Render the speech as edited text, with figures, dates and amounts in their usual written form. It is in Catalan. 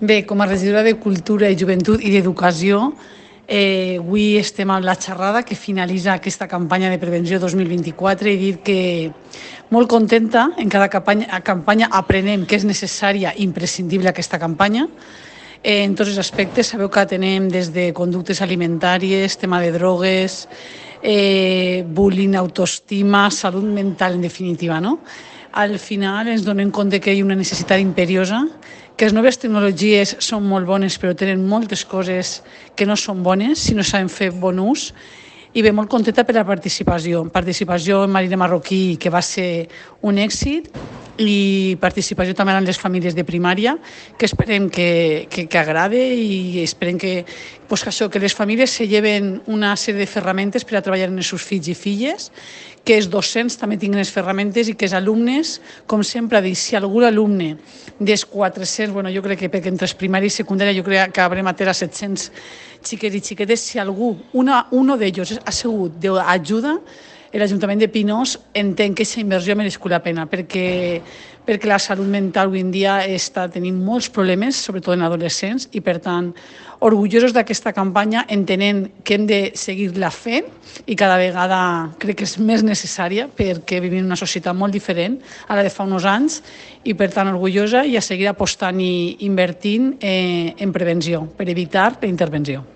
Bé, com a regidora de Cultura i Joventut i d'Educació, avui estem amb la xerrada que finalitza aquesta campanya de prevenció 2024 i dir que molt contenta, en cada campanya aprenem que és necessària i imprescindible aquesta campanya. En tots els aspectes, sabeu que atenem des de conductes alimentàries, tema de drogues, bullying, autoestima, salut mental, en definitiva, no? Al final ens donem compte que hi ha una necessitat imperiosa, que les noves tecnologies són molt bones però tenen moltes coses que no són bones si no saben fer bon ús. I bé, molt contenta per la participació. Participació en Marina Marroquí, que va ser un èxit, i participació també en les famílies de primària, que esperem que agrade i esperem que això, que les famílies se lleven una sèrie de ferramentes per a treballar amb els seus fills i filles, que els docents també tinguin les ferramentes i que els alumnes, com sempre dic, si algun alumne dels 400, jo crec que perquè entre primària i secundària jo crec que haurem atès a 700 xiquets i xiquetes, si algú, uno d'ells ha sigut d'ajuda, l'Ajuntament de Pinós entén que aquesta inversió ha merescut la pena, perquè la salut mental avui en dia està tenint molts problemes, sobretot en adolescents, i per tant, orgullosos d'aquesta campanya, entenent que hem de seguir-la fent i cada vegada crec que és més necessària perquè vivim en una societat molt diferent a la de fa uns anys i per tant orgullosa i a seguir apostant i invertint en prevenció per evitar la intervenció.